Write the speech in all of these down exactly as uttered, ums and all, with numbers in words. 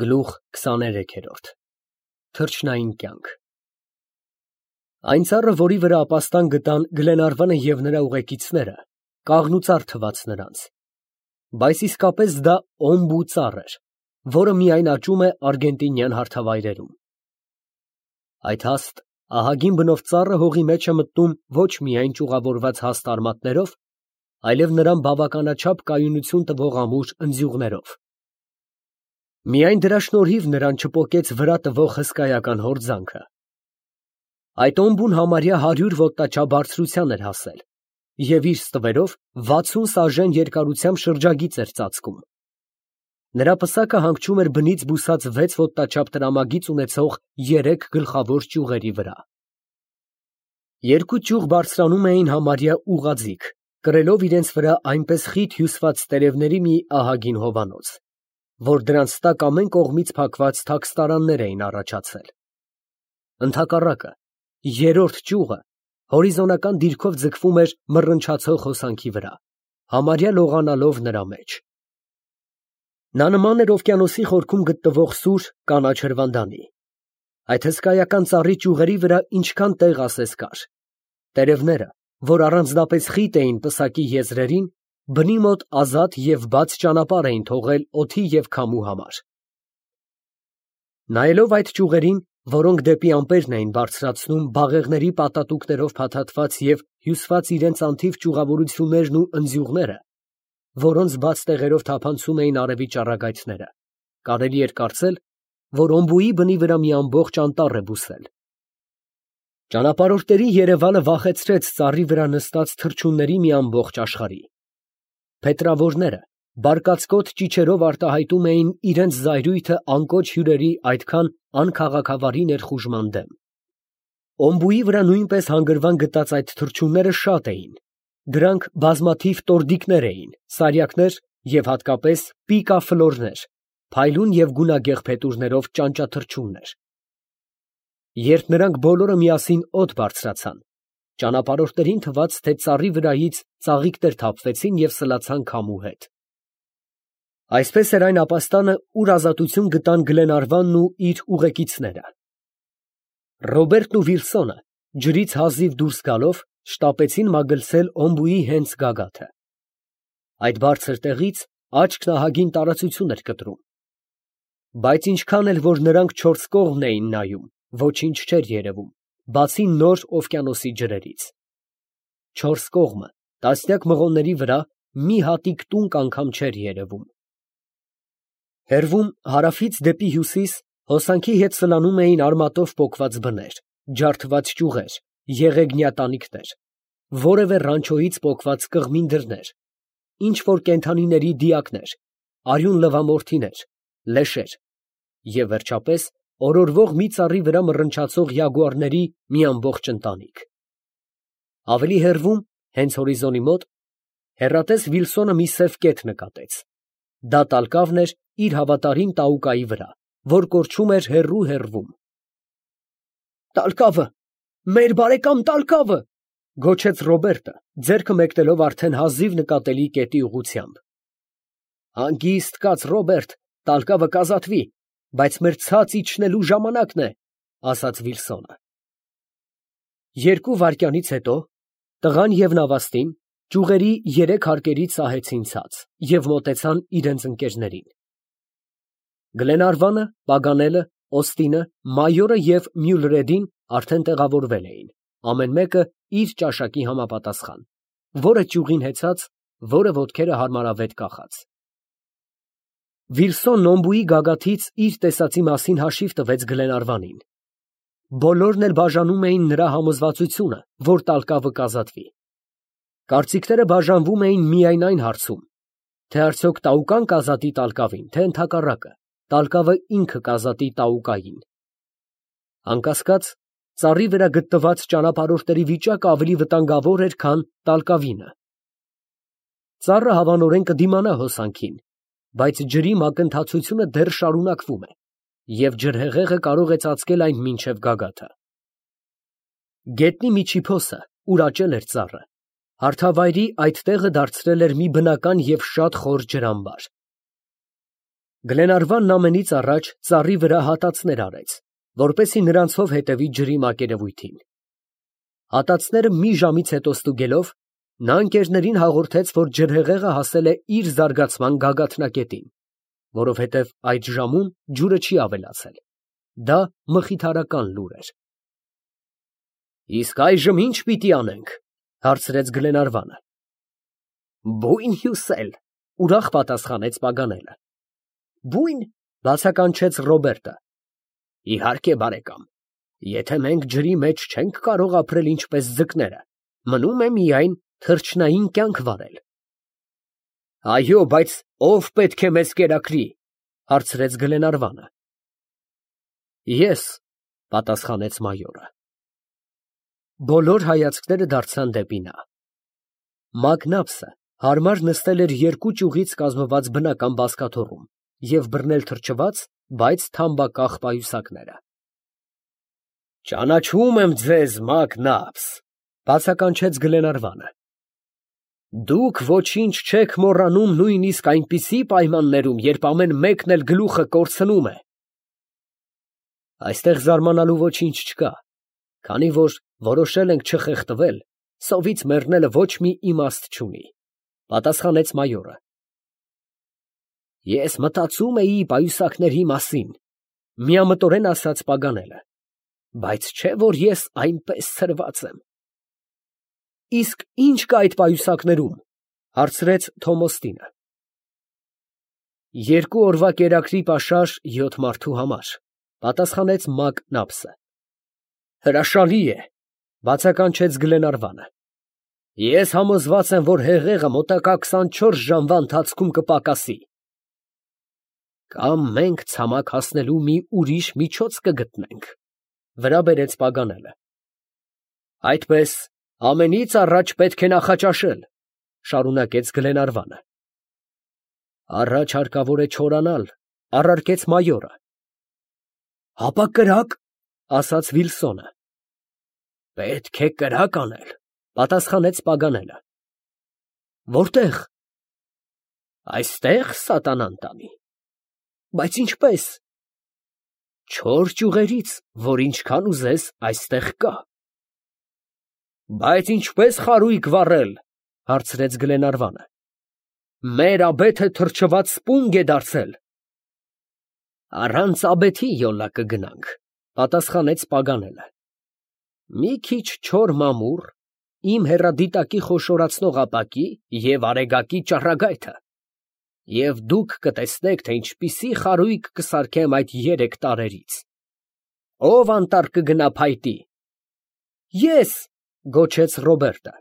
Գլուխ քսաներեքերորդ Թռչնային կյանք Այն ծառը, որի վրա ապաստան գտան Գլենարվանը և նրա ուղեկիցները, կաղնուծառ թվաց նրանց, բայց իսկապես դա օմբու ծառ էր, որը միայն աճում է արգենտինյան հարթավայրերում։ Այդ հաստ, ահագին բնով ծառը հողի մեջ է մտնում ոչ միայն ճյուղավորված հաստ արմատներով, այլև նրան բավականաչափ կայունություն տվող ամուր ընձյուղներով։ Միայն դրա շնորհիվ նրան չպոկեց վրա տվող հսկայական հորձանքը։ Այդ օմբուն համարյա հարյուր ոտնաչափ բարձրության էր հասել և իր ստվերով վաթսուն սաժեն երկարությամբ շրջագիծ էր ծածկում։ Նրա պսակը հանգչում էր բնից բուսած վեց ոտնաչափ տրամագիծ ունեցող երեք գլխավոր ճյուղերի վրա։ Երկու ճյուղ բարձրանում էին համարյա ուղղաձիգ, կրելով իրենց վրա այնպես խիտ հյուսված տերևների մի ահագին հովանոց, որ դրանց տակ ամեն կողմից փակված թաքստարաններ էին առաջացել։ Ընդհակառակը, երրորդ ճյուղը հորիզոնական դիրքով ձգվում էր մռնչացող հոսանքի վրա, համարյա լողանալով նրա մեջ։ Նա նման էր օվկիանոսի խորքում գտնվող սուր կանաչ հրվանդանի։ Այդ հսկայական ծառի ճյուղերի վրա ինչքան տեղ ասես կար։ Տերևները, որ առանձնապես խիտ էին պսակի եզրերին, բնի մոտ ազատ և բաց ճանապարհ էին թողել օդի և քամու համար։ Նայելով այդ ճյուղերին, որոնք դեպի ամպերն էին բարձրացնում բաղեղների պատատուկներով փաթաթված և հյուսված իրենց անթիվ ճյուղավորություններն ու ընձյուղները, որոնց բաց տեղերով թափանցում էին արևի ճառագայթները, կարելի էր կարծել, որ օմբուի բնի վրա մի ամբողջ անտառ է բուսել։ Ճանապարհորդների երևալը վախեցրեց ծառի վրա նստած թռչունների մի ամբողջ աշխարհի։ Փետրավորները բարկացկոտ ճիչերով արտահայտում էին իրենց զայրույթը անկոչ հյուրերի այդքան անքաղաքավարի ներխուժման դեմ։ Օմբուի վրա նույնպես հանգրվան գտած այդ թռչունները շատ էին։ Դրանք բազմաթիվ տորդիկներ էին, սարյակներ և հատկապես պիկաֆլորներ, փայլուն և գունագեղ փետուրներով ճանճաթռչուններ։ Երբ նրանք բոլորը միասին օդ բարձրացան, ճանապարհորդներին թվաց, թե ծառի վրայից ծաղիկներ թափվեցին և սլացան քամու հետ։ Այսպես էր այն ապաստանը, ուր ազատություն գտան Գլենարվանն ու իր ուղեկիցները։ Ռոբերտն ու Վիլսոնը, ջրից հազիվ դուրս գալով, շտապեցին մագլցել օմբուի հենց գագաթը։ Այդ բարձր տեղից աչքն ահագին տարածություն էր կտրում։ Բայց ինչքան էլ որ նրանք չորս կողմն էին նայում, ոչինչ չէր երևում, բացի նոր օվկիանոսի ջրերից։ Չորս կողմը, տասնյակ մղոնների վրա, մի հատիկ տունկ անգամ չէր երևում։ Հեռվում, հարավից դեպի հյուսիս, հոսանքի հետ սլանում էին արմատով պոկված բներ, ջարդված ճյուղեր, եղեգնյա տանիքներ, որևէ ռանչոյից պոկված կղմին դռներ, ինչ֊որ կենդանիների դիակներ, արյուն լվամորթիներ, լեշեր և, վերջապես, օրորվող մի ծառի վրա մռնչացող յագուարների մի ամբողջ ընտանիք։ Ավելի հեռվում, հենց հորիզոնի մոտ, հեռատես Վիլսոնը մի սև կետ նկատեց։ Դա տալկավն էր իր հավատարիմ տաուկայի վրա, որ կորչում էր հեռու֊հեռվում։ «Տալկավը, մեր բարեկամ տալկավը», ֊ գոչեց Ռոբերտը, ձեռքը մեկնելով արդեն հազիվ նկատելի կետի ուղղությամբ։ «Հանգիստ կաց, Ռոբերտ, տալկավը կազատվի, բայց մեր ցած իջնելու ժամանակն է», ֊ ասաց Վիլսոնը։ Երկու վայրկյանից հետո տղան և նավաստին ճյուղերի երեք հարկերից սահեցին ցած և մոտեցան իրենց ընկերներին։ Գլենարվանը, Պագանելը, Օստինը, մայորը և Մյուլրեդին արդեն տեղավորվել էին, ամեն մեկը իր ճաշակի համապատասխան, որը ճյուղին հեծած, որը ոտքերը հարմարավետ կախած։ Վիլսոնն օմբուի գագաթից իր տեսածի մասին հաշիվ տվեց Գլենարվանին։ Բոլորն էլ բաժանում էին նրա համոզվածությունը, որ տալկավը կազատվի։ Կարծիքները բաժանվում էին միայն այն հարցում, թե արդյոք տաուկան կազատի տալկավին, թե ընդհակառակը, տալկավը ինքը կազատի տաուկային։ Անկասկած, ծառի վրա գտնված ճանապարհորդների վիճակը ավելի վտանգավոր էր, քան տալկավինը։ Ծառը հավանորեն կդիմանա հոսանքին, բայց ջրի մակընթացությունը դեռ շարունակվում է, և ջրհեղեղը կարող է ծածկել այն մինչև գագաթը։ Գետնի միջիփոսը, ուր աճել էր ծառը, հարթավայրի այդ տեղը դարձրել էր մի բնական և շատ խոր ջրամբար։ Գլենարվանն ամենից առաջ ծառի վրա հատածներ արեց, որպեսզի նրանցով հետևի ջրի մակերևույթին։ Հատածները մի ժամից հետո ստուգելով, նա ընկերներին հաղորդեց, որ ջրհեղեղը հասել է իր զարգացման գագաթնակետին, որովհետև այդ ժամում ջուրը չի ավելացել։ Դա մխիթարական լուր էր։ Իսկ այժմ ի՞նչ պիտի անենք, հարցրեց Գլենարվանը։ Բույն հյուսել, ուրախ պատասխանեց Պագանելը։ Բույն, բացականչեց Ռոբերտը։ Իհարկե, բարեկամ, եթե մենք ջրի մեջ չենք կարող ապրել ինչպես ձկները, մնում է միայն թռչնային կյանք վարել։ Այո, բայց ո՞վ պետք է մեզ կերակրի, հարցրեց Գլենարվանը։ Ես, պատասխանեց մայորը։ Բոլոր հայացքները դարձան դեպի նա։ Մակնապսը հարմար նստել էր երկու ճյուղից կազմված բնական բազկաթոռում և բռնել թրջված, բայց թամբակախ պայուսակները։ Ճանաչում եմ ձեզ, Մակնապս, բացականչեց Գլենարվանը։ Դուք ոչինչ չեք մոռանում նույնիսկ այնպիսի պայմաններում, երբ ամեն մեկն էլ գլուխը կորցնում է։ Այստեղ զարմանալու ոչինչ չկա, քանի որ որոշել ենք չխեղդվել, սովից մեռնելը ոչ մի իմաստ չունի, պատասխանեց մայորը։ Ես մտածում էի պայուսակների մասին, միամտորեն ասաց Պագանելը, բայց չէ որ ես այնպես ցրված եմ։ Իսկ ի՞նչ կա այդ պայուսակներում, հարցրեց Թոմոստինը։ Երկու օրվա կերակրի պաշար յոթ մարդու համար, պատասխանեց Մակնապսը։ Հրաշալի է, բացականչեց Գլենարվանը։ Ես համոզված եմ, որ հեղեղը մոտակա քսանչորս ժամվա ընթացքում կպակասի։ Կամ մենք ցամաք հասնելու մի ուրիշ միջոց կգտնենք, վրա բերեց Պագանելը։ Այդպես ամենից առաջ պետք է նախաճաշել, շարունակեց Գլենարվանը։ Առաջ հարկավոր է չորանալ, առարկեց մայորը։ Հապա կրակ, ասաց Վիլսոնը։ Պետք է կրակ անել, պատասխանեց Պագանելը։ Որտեղ։ Այստեղ, սատանան տանի։ Բայց ինչպես։ Չոր ճյուղերից, որ ինչքան ուզես այստեղ կա։ Բայց ինչպես խարույկ վառել, հարցրեց Գլենարվանը։ Մեր աբեթը թրջված սպունգ է դարձել։ Առանց աբեթի յոլա կգնանք, պատասխանեց Պագանելը։ Մի քիչ չոր մամուռ, իմ հեռադիտակի խոշորացնող ապակի և արեգակի ճառագայթը, և դուք կտեսնեք, թե ինչպիսի խարույկ կսարքեմ այդ երեք տարրերից։ Ով անտառ կգնա փայտի։ Ես, գոչեց Ռոբերտը։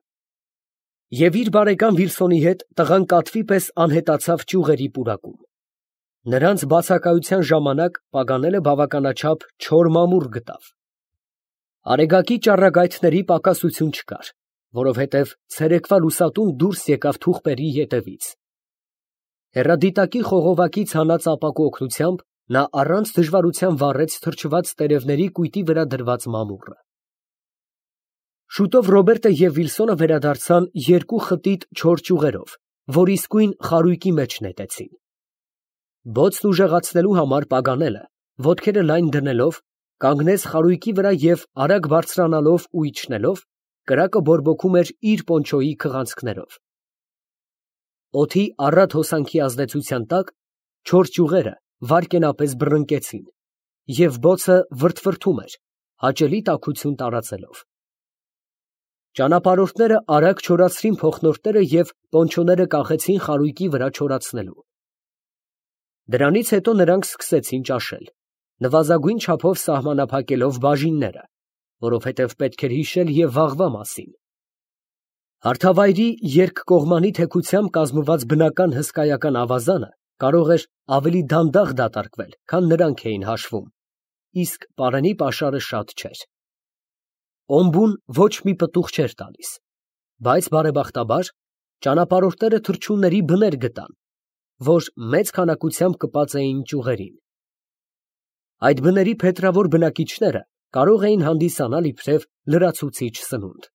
Եվ իր բարեկամ Վիլսոնի հետ տղան կատվի պես անհետացավ ճյուղերի պուրակում։ Նրանց բացակայության ժամանակ Պագանելը բավականաչափ չոր մամուռ գտավ։ Արեգակի ճառագայթների պակասություն չկար, որովհետև ցերեկվա լուսատուն դուրս եկավ թուղպերի ետևից։ Հեռադիտակի խողովակից հանած ապակու օգնությամբ նա առանց դժվարության վառեց թրջված տերևների կույտի վրա դրված մամուռը։ Շուտով Ռոբերտը և Վիլսոնը վերադարձան երկու խտիտ չոր ճյուղերով, որ իսկույն խարույկի մեջ նետեցին։ Բոցն ուժեղացնելու համար Պագանելը, ոտքերը լայն դնելով, կանգնեց խարույկի վրա և արագ բարձրանալով ու իջնելով, կրակը բորբոքում էր իր պոնչոյի քղանցքներով։ Օդի առատ հոսանքի ազդեցության տակ չոր ճյուղերը վայրկենապես բռնկեցին, և բոցը վրդվրդում էր, հաճելի տաքություն տարածելով։ Ճանապարհորդները արագ չորացրին փոխնորդները և պոնչոները կախեցին խարույկի վրա չորացնելու։ Դրանից հետո նրանք սկսեցին ճաշել, նվազագույն չափով սահմանափակելով բաժինները, որովհետև պետք էր հիշել և վաղվա մասին։ Հարթավայրի երկկողմանի թեքությամբ կազմված բնական հսկայական ավազանը կարող էր ավելի դանդաղ դատարկվել, քան նրանք էին հաշվում, իսկ պարանի պաշարը շատ չէր։ Օմբուն ոչ մի պտուղ չէր տալիս, բայց բարեբախտաբար ճանապարհորդները թռչունների բներ գտան, որ մեծ քանակությամբ կպած էին ճյուղերին։ Այդ բների փետրավոր բնակիչները կարող էին հանդիսանալ իբրև լրացուցիչ սնունդ։